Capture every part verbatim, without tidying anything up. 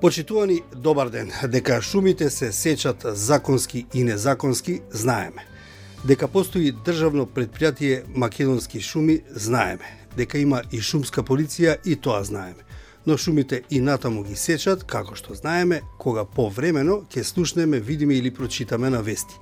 Почитувани, добар ден. Дека шумите се сечат законски и незаконски, знаеме. Дека постои државно предпријатие Македонски шуми, знаеме. Дека има и шумска полиција, и тоа знаеме. Но шумите и натаму ги сечат, како што знаеме, кога повремено ќе слушнеме, видиме или прочитаме на вести.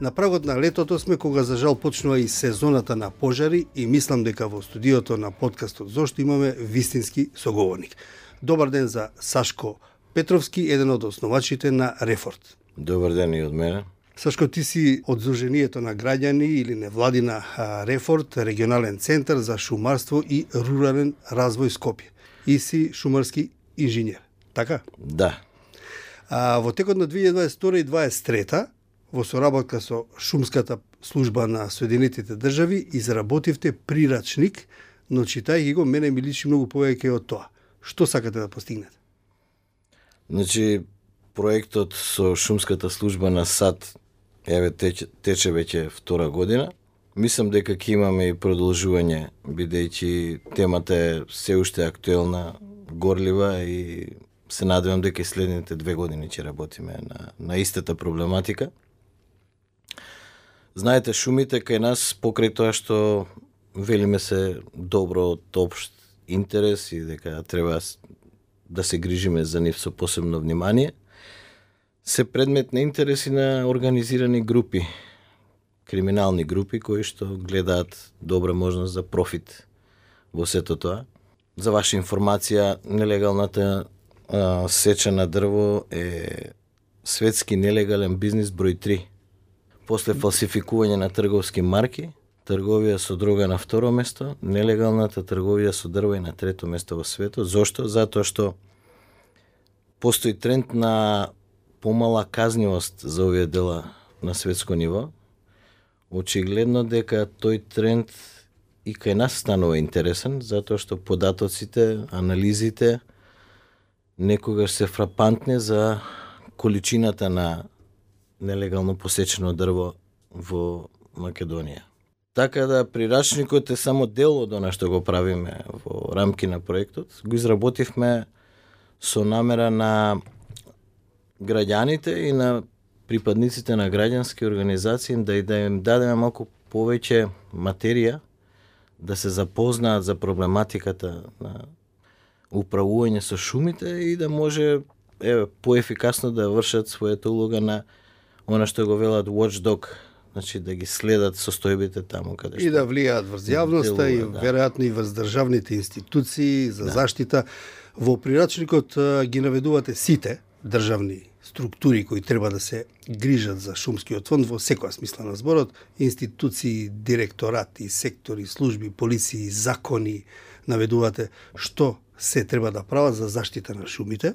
На прагот на летото сме кога за жал почнува и сезоната на пожари и мислам дека во студиото на подкастот Зошто имаме вистински соговорник. Добар ден за Сашко Петровски, еден од основачите на Рефорт. Добар ден и од мене. Сашко, ти си од Сдруженијето на граѓани или невладина Рефорт, регионален центар за шумарство и рурален развој Скопје. И си шумарски инженер, така? Да. А, во текот на две илјади дваесет и втора и дваесет и трета, во соработка со Шумската служба на Соединетите држави, изработивте прирачник, но читајќи го, мене ми личи многу повеќе од тоа. Што сакате да постигнете? Значи, проектот со Шумската служба на САД еве тече, тече веќе втора година. Мислам дека ќе имаме и продолжување, бидејќи темата е се уште актуелна, горлива и се надевам дека и следните две години ќе работиме на, на истата проблематика. Знаете, шумите кај нас, покрај тоа што велиме се добро од општ интерес и дека треба да се грижиме за нив со посебно внимание, се предмет на интереси на организирани групи, криминални групи кои што гледаат добра можност за профит во сето тоа. За ваша информација, нелегалната а, сеча на дрво е светски нелегален бизнис број три. После фалсификување на трговски марки, трговија со дрога на второ место, нелегалната трговија со дрво е на трето место во светот. Зошто? Затоа што постои тренд на помала казнивост за овие дела на светско ниво. Очигледно дека тој тренд и кај нас станува интересен, затоа што податоците, анализите некогаш се фрапантни за количината на нелегално посечено дрво во Македонија. Така да прирачникот е само дел од она што го правиме во рамки на проектот. Го изработивме со намера на граѓаните и на припадниците на граѓански организации да и да им дадеме малку повеќе материја да се запознаат за проблематиката на управување со шумите и да може еве поефикасно да вршат својата улога на она што го велат watchdog, значи да ги следат состојбите таму каде што и да влијаат врз јавноста и да. веројатно и врз државните институции за да. заштита. Во прирачникот ги наведувате сите државни структури кои треба да се грижат за шумскиот фонд во секоја смисла на зборот, институции, директорати, сектори, служби, полиции, закони, наведувате што се треба да прават за заштита на шумите.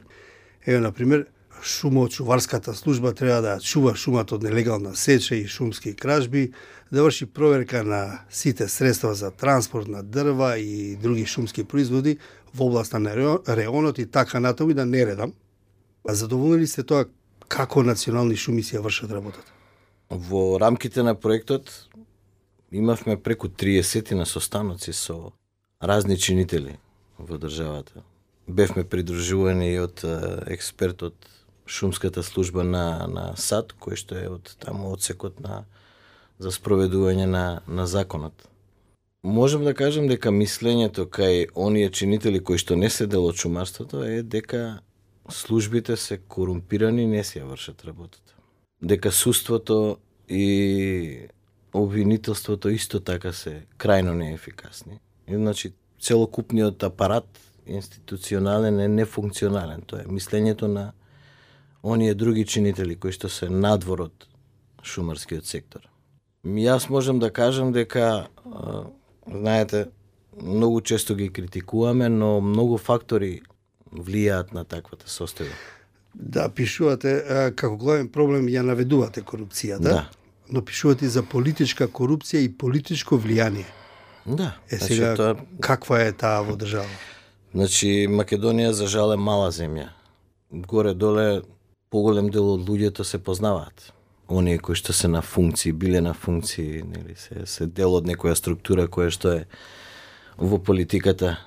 Еве, например, шумоочуварската служба треба да чува шумат од нелегална сеча и шумски кражби, да врши проверка на сите средства за транспорт на дрва и други шумски производи во областа на реонот и така натаму, и да не редам. А задоволни ли сте тоа како национални шуми си ја вршат работата? Во рамките на проектот имавме преку триесет на состаноци со разни чинители во државата. Бевме придружувани и од експерт од Шумската служба на, на САД, кој што е од таму одсекот на за спроведување на, на законот. Можем да кажем дека мислењето кај оние чинители кои што не се дел од шумарството е дека службите се корумпирани, не си ја вршат работата. Дека судството и обвинителството исто така се крајно неефикасни. И, значи, целокупниот апарат институционален е нефункционален. Тоа е мислењето на оние други чинители кои што се надвор од шумарскиот сектор. Јас можам да кажам дека, а, знаете, многу често ги критикуваме, но многу фактори влијаат на таквата состојба. Да, пишувате, како главен проблем ја наведувате корупцијата, да. Но пишувате за политичка корупција и политичко влијание. Да. Е, сега, значи, тоа... каква е таа во држава? Значи, Македонија за жал е мала земја. Горе-доле, поголем дел од луѓето се познаваат. Оние кои што се на функции, биле на функции, нели, се, се дел од некоја структура која што е во политиката.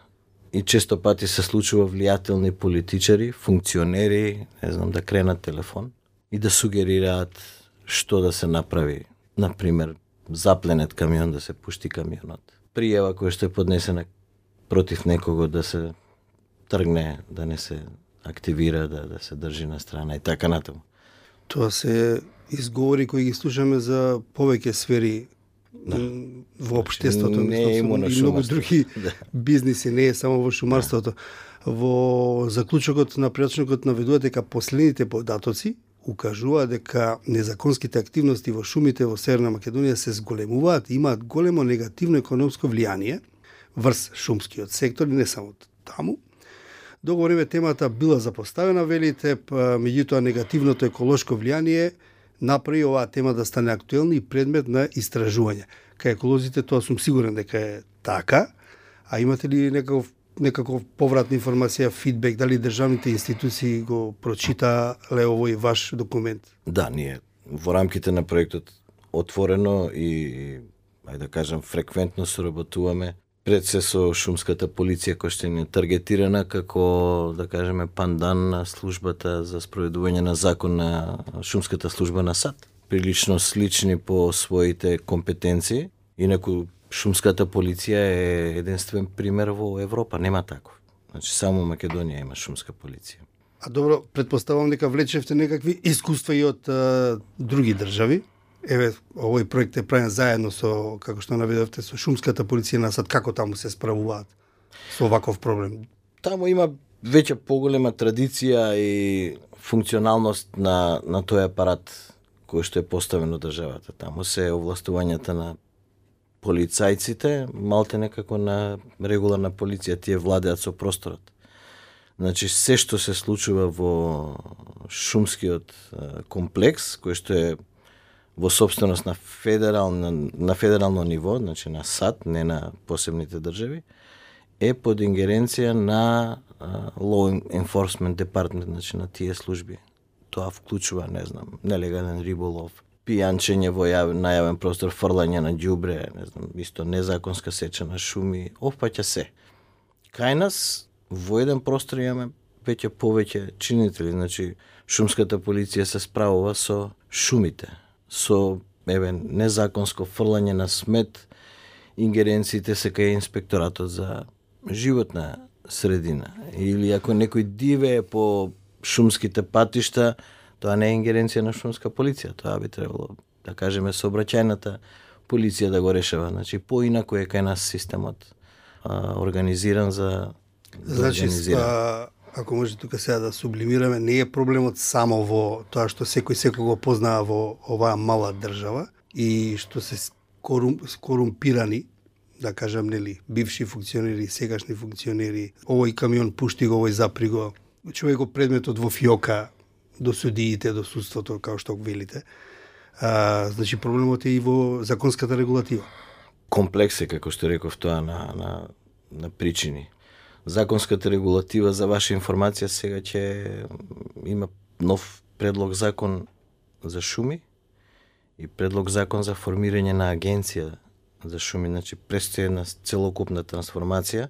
и често пати се случува влијателни политичари, функционери, не знам, да кренат телефон и да сугерираат што да се направи. Например, запленет камион, да се пушти камионот. Пријава која што е поднесена против некого да се тргне, да не се активира, да, да се држи на страна и така натаму. Тоа се изговори кои ги слушаме за повеќе сфери, да, во општеството, не е имуно и многу други да. бизниси, не е само во шумарството. Да. Во заклучокот на пријачникот наведува дека последните податоци укажува дека незаконските активности во шумите во Северна Македонија се зголемуваат и имаат големо негативно економско влијание врз шумскиот сектор и не само таму. Долго време темата била запоставена, велите, меѓутоа негативното еколошко влијание направи оваа тема да стане актуелна и предмет на истражување. Кај еколозите тоа сум сигурен дека е така, а имате ли некаков некаков повратна информација, фидбек, дали државните институции го прочитале овој ваш документ? Да, ние во рамките на проектот отворено и, ајде да кажам, фреквентно соработуваме пред се со шумската полиција која што е таргетирана како, да кажеме, пандан на службата за спроведување на закон на шумската служба на САД. Прилично слични по своите компетенции, инаку шумската полиција е единствен пример во Европа, нема таков. Значи само Македонија има шумска полиција. А добро, предпоставам дека влечевте некакви искуства и од а, други држави. Еве, овој проект е правен заедно со, како што наведовте, со шумската полиција на САД. Како таму се справуваат со оваков проблем? Таму има веќе поголема традиција и функционалност на, на тој апарат кој што е поставен од државата. Таму се овластувањата на полицајците, малте некако на регуларна полиција, тие владеат со просторот. Значи, се што се случува во шумскиот комплекс, кој што е во собственост на федерално, на федерално ниво, значи на САД, не на посебните држави, е под ингеренција на uh, Law Enforcement Department, значи на тие служби. Тоа вклучува, не знам, нелегален риболов, пијанчење во јав, најавен простор, фрлање на ѓубре, не знам, исто незаконска сеча на шуми, опфаќа се. Кај нас во еден простор имаме веќе повеќе чинители, значи шумската полиција се справува со шумите, со еве незаконско фрлање на смет, ингеренциите се кај инспекторатот за животна средина, или ако некој дивее по шумските патишта, тоа не е ингеренција на шумска полиција, тоа би требало, да кажеме, сообраќајната полиција да го решава. Значи, поинаку е кај нас системот а, организиран за да значи, а, ако може тука сега да сублимираме, не е проблемот само во тоа што секој секој го познава во оваа мала држава и што се корум, корумпирани, да кажам, нели, бивши функционери, сегашни функционери, овој камион пушти го, овој запри го, човек го предметот во фиока до судиите, до судството, како што го велите. А, значи, проблемот е и во законската регулатива. Комплекс е, како што реков, тоа на, на, на причини. Законската регулатива, за ваша информација, сега ќе има нов предлог закон за шуми и предлог закон за формирање на агенција за шуми. Значи, престои една целокупна трансформација.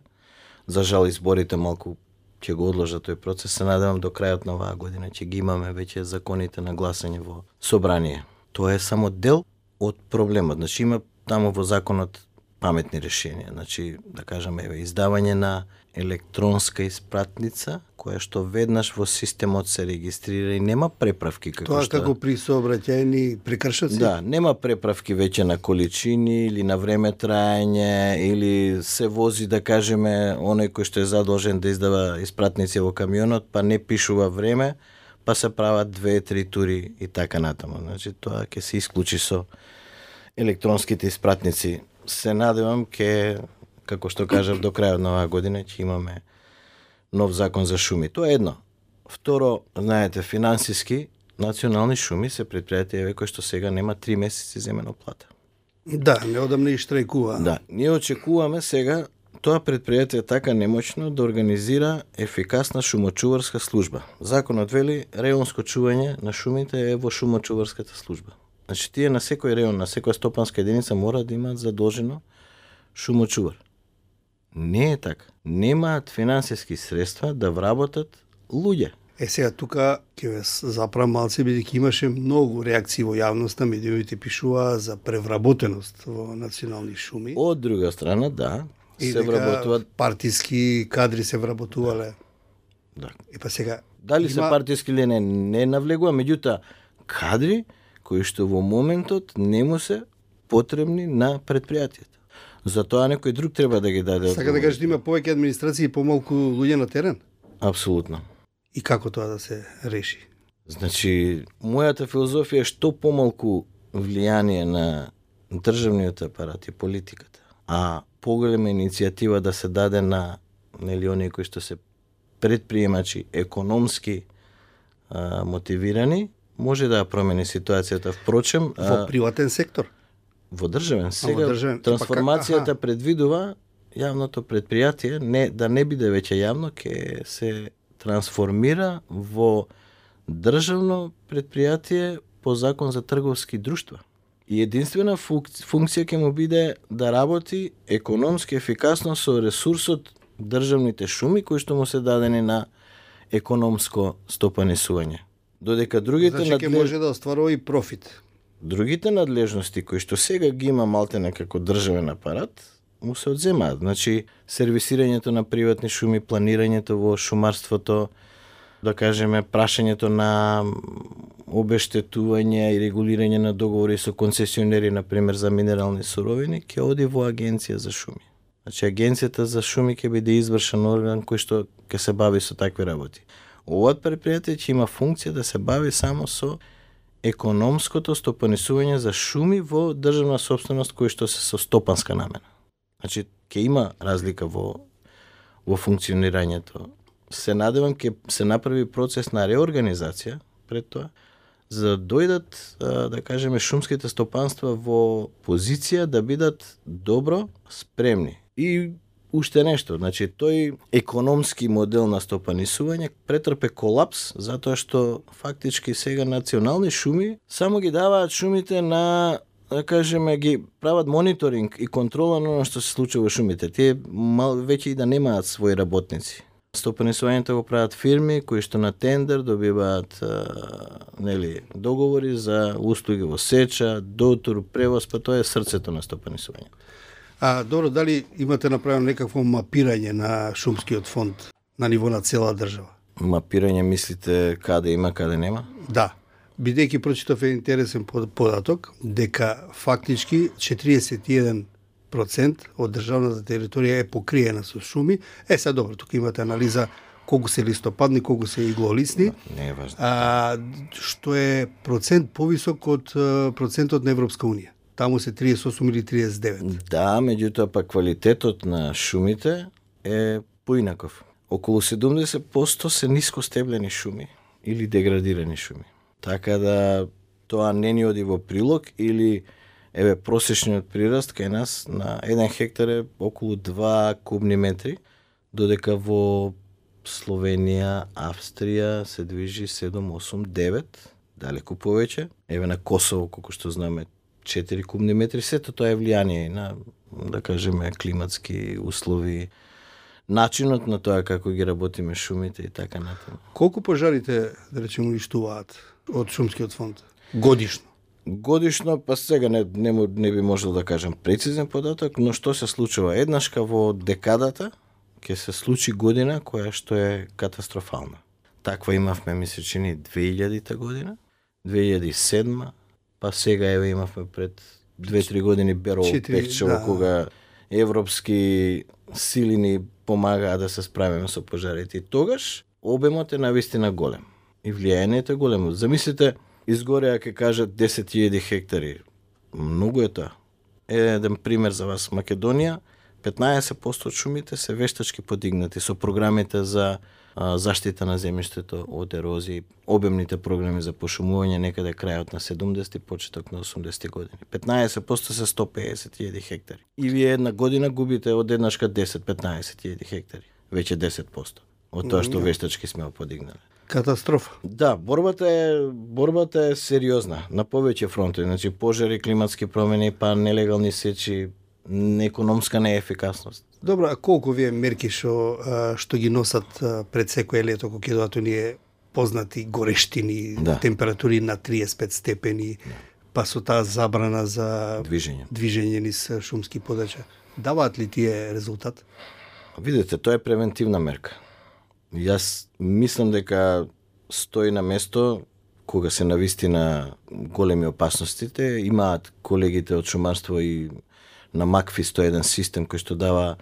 За жал, изборите малку ќе го одложат тој процес. Се надевам до крајот на оваа година ќе ги имаме веќе законите на гласање во собрание. Тоа е само дел од проблемот. Значи, има таму во законот паметни решенија. Значи, да кажеме, еве, издавање на електронска испратница, која што веднаш во системот се регистрира и нема преправки. Како Тоа што... како при сообраќајни прекршоци? Да, нема преправки веќе на количини или на време траење, или се вози, да кажеме, оној кој што е задолжен да издава испратници во камионот, па не пишува време, па се прават две-три тури и така натаму. Значи, тоа ќе се исклучи со електронските испратници. Се надевам ке, како што кажав, до крајот на оваа година ќе имаме нов закон за шуми. Тоа е едно. Второ, знаете, финансиски национални шуми се предпријатија кои што сега нема три месеци земено плата. Да, неодамна и штрајкува. Да, ние очекуваме сега тоа предпријатие така немоќно да организира ефикасна шумочуварска служба. Законот вели реонско чување на шумите е во шумочуварската служба. Значи, тие на секој реон, на секоја стопанска единица мора да имаат задолжено шумочувар. Не е така. Немаат финансиски средства да вработат луѓе. Е, сега тука ќе ве заправам малце, бидејќи имаше многу реакции во јавноста, медиумите пишуваа за превработеност во национални шуми. Од друга страна, да, и се вработуваат партиски кадри се вработувале. Да. И па сега Дали има... се партиски или не, не навлегува, меѓутоа кадри кои што во моментот не му се потребни на предпријатието. Затоа некој друг треба да ги даде. Сака да кажеш да има повеќе администрација и помалку луѓе на терен? Апсолутно. И како тоа да се реши? Значи, мојата филозофија е што помалку влијание на државниот апарат и политиката, а поголема иницијатива да се даде на нели оние кои што се предприемачи, економски а, мотивирани, може да промени ситуацијата. Впрочем, во приватен сектор? Во државен. Сега во државен. трансформацијата Па, предвидува јавното предпријатие не да не биде веќе јавно, ќе се трансформира во државно предпријатие по закон за трговски друштва. И единствена функција ќе му биде да работи економски ефикасно со ресурсот државните шуми кои што му се дадени на економско стопанисување. Додека другите значи ќе надлеж... може да остварува и профит. Другите надлежности кои што сега ги има малтене како државен апарат, му се одземаат. Значи, сервисирањето на приватни шуми, планирањето во шумарството, да кажеме, прашањето на обештетување и регулирање на договори со концесионери, например, за минерални суровини, ќе оди во Агенција за шуми. Значи, Агенцијата за шуми ќе биде извршен орган кој што ќе се бави со такви работи. Ова предпријатие ќе има функција да се бави само со економското стопанисување за шуми во државна сопственост кои што се со стопанска намена. Значи, ќе има разлика во, во функционирањето. Се надевам ќе се направи процес на реорганизација пред тоа, за да дојдат, да кажеме, шумските стопанства во позиција да бидат добро спремни. И уште нешто, значи тој економски модел на стопанисување претрпе колапс затоа што фактички сега национални шуми само ги даваат шумите на, да кажеме, ги прават мониторинг и контрола на оно што се случува во шумите. Тие мал веќе и да немаат своји работници. Стопанисувањето го прават фирми кои што на тендер добиваат а, нели договори за услуги во сеча, дотур, превоз, па тоа е срцето на стопанисувањето. А, добро, дали имате направено некакво мапирање на шумскиот фонд на ниво на цела држава? Мапирање мислите каде има, каде нема? Да. Бидејќи прочитав еден интересен податок, дека фактички четириесет и еден процент од државната територија е покриена со шуми. Е, сега добро, тука имате анализа колку се листопадни, колку се иглолисни. Не е важно. А, што е процент повисок од процентот на Европска унија. Таму се триесет и осум или триесет и девет. Да, меѓутоа па квалитетот на шумите е поинаков. Околу седумдесет проценти се нискостеблени шуми или деградирани шуми. Така да тоа не ни оди во прилог или еве просечниот прираст кај нас на еден хектар е околу два кубни метри, додека во Словенија, Австрија се движи седум, осум, девет, далеку повеќе. Еве на Косово, колку што знаме, четири кубни метри, сето тоа е влијание на, да кажеме, климатски услови, начинот на тоа како ги работиме шумите и така натаму. Колку пожарите, да речеме, уништуваат од шумскиот фонд годишно? Годишно, па сега не, не, не би можел да кажам прецизен податок, но што се случува? Еднашка во декадата ќе се случи година која што е катастрофална. Таква имавме, ми се чини, две илјадита година, две илјади и седма, па сега еве имавме пред две-три години Берово Пекчево, да, кога европски сили ни помагаа да се справиме со пожарите. И тогаш обемот е навистина голем и влијанието е големо. Замислите, изгореа ќе кажат десет илјади хектари. Многу е тоа. Еден пример за вас. Македонија, петнаесет проценти од шумите се вештачки подигнати со програмите за а, заштита на земјиштето од ерозија, обемните програми за пошумување некаде крајот на седумдесети, почеток на осумдесети години. петнаесет проценти се сто песет илјади хектари. И вие една година губите од еднашка десет-петнаесет илјади хектари. Веќе десет проценти од тоа што вештачки сме подигнали. Катастрофа. Да, борбата е борбата е сериозна на повеќе фронтови, значи пожари, климатски промени, па нелегални сечи, економска неефикасност. Добро, а колку вие мерки што а, што ги носат а, пред секое лето кога ќе доаат оние познати горештини, Да. температури на триесет и пет степени, па со таа забрана за Движење. движење низ шумски подача. Даваат ли тие резултат? Видете, тоа е превентивна мерка. Јас мислам дека стои на место кога се навистина големи опасностите, имаат колегите од шумарство и на МАКФИ сто еден систем кој што дава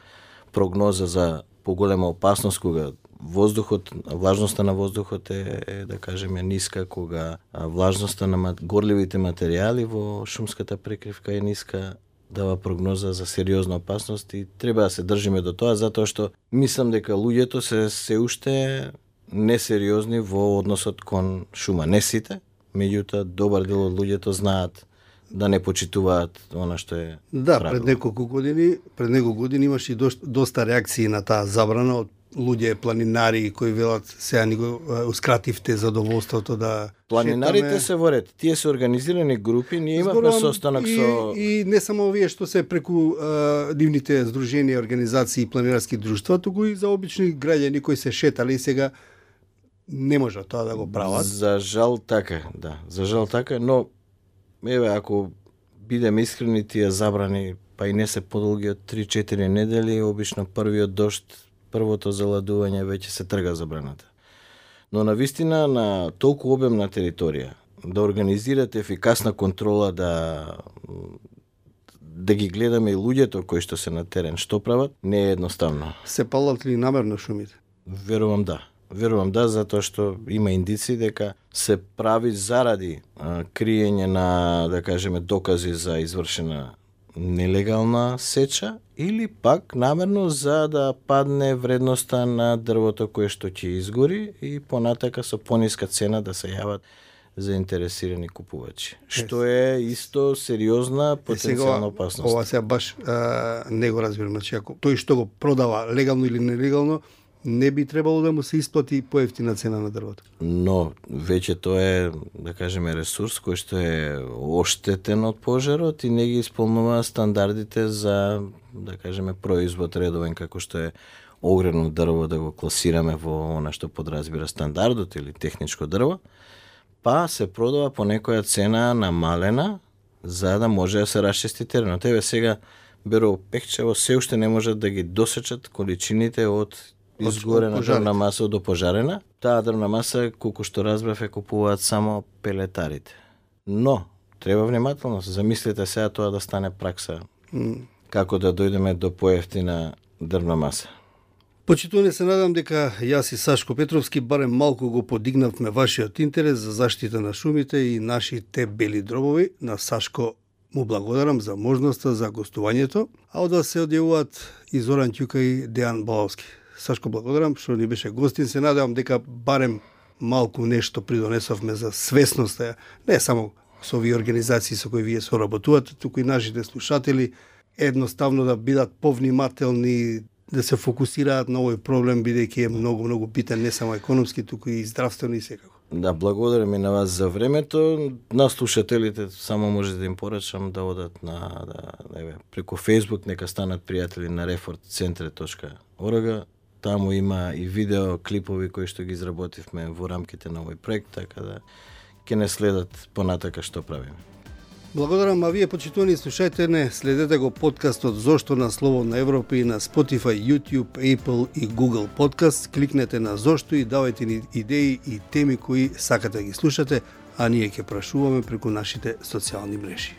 прогноза за поголема опасност кога воздухот, влажноста на воздухот е, е да кажеме ниска, кога влажноста на горливите материјали во шумската прекривка е ниска, дава прогноза за сериозна опасност и треба да се држиме до тоа, затоа што мислам дека луѓето се се уште несериозни во односот кон шума. Не сите, меѓутоа добар дел од луѓето знаат да не почитуваат она што е Да, правило. пред неколку години, пред неколку години имаше и доста, доста реакции на таа забрана од луѓе планинари кои велат сега ни го а, ускративте задоволството да Планинарите шетаме. се во ред. Тие се организирани групи, ние имавме Зборувам состанок и, со и не само овие што се преку а, нивните здруженија, организации и планинарски друштва, туку и за обични граѓани кои се шетале и сега не може тоа да го прават. За жал така, да. За жал така, но еве ако бидеме искрени, тие забрани па и не се подолги од три-четири недели, обично првиот дожд, првото заладување веќе се трга забраната. Но на вистина на толку обемна територија да организирате ефикасна контрола, да да ги гледаме и луѓето кои што се на терен што прават, не е едноставно. Се палат ли намерно шумите? Верувам да. Верувам да, затоа што има индици дека се прави заради а, криење на, да кажеме, докази за извршена нелегална сеча или пак намерно за да падне вредноста на дрвото кое што ќе изгори и понатака со пониска цена да се јават заинтересирани купувачи. Што е исто сериозна потенцијална опасност. Ова сега баш а, не го разбирам, значи ако тој што го продава легално или нелегално, не би требало да му се исплати поевтина цена на дрвото. Но веќе тоа е, да кажеме, ресурс кој што е оштетен од пожарот и не ги исполнува стандардите за, да кажеме, производ редовен, како што е огрено дрво, да го класираме во она што подразбира стандардот или техничко дрво, па се продава по некоја цена намалена за да може да се расчисти теренот. Еве сега Беро Пехчево се уште не можат да ги досечат количините од изгорена дрвна маса од опожарена. Таа дрвна маса, колку што разбрав, е купуваат само пелетарите. Но, треба внимателност. Замислете сега тоа да стане пракса. Mm. Како да дојдеме до поевтина дрвна маса. Почитуване, се надам дека јас и Сашко Петровски барем малку го подигнавме вашиот интерес за заштита на шумите и нашите бели дробови. На Сашко му благодарам за можноста за гостувањето, а од вас се одјавуваат и Зоран Ќука и Дејан Баловски. Сашко, благодарам што ни беше гостин. Се надевам дека барем малку нешто придонесовме за свесноста, не само со овие организации со кои вие соработувате, туку и нашите слушатели едноставно да бидат повнимателни, да се фокусираат на овој проблем, бидејќи е многу, многу битен, не само економски, туку и здравствено и секако. Да, благодарам и на вас за времето. На слушателите само може да им порачам да одат на да, еве, преку Facebook, нека станат пријатели на рефорт центре точка орг. Таму има и видео клипови кои што ги изработивме во рамките на овој проект, така да ќе не следат понатака што правиме. Благодарам, а вие почитувани слушајте не, следете го подкастот Зошто на Слободна Европа и на Spotify, YouTube, Apple и Google Podcast. Кликнете на Зошто и давајте ни идеи и теми кои сакате да ги слушате, а ние ќе прашуваме преку нашите социјални мрежи.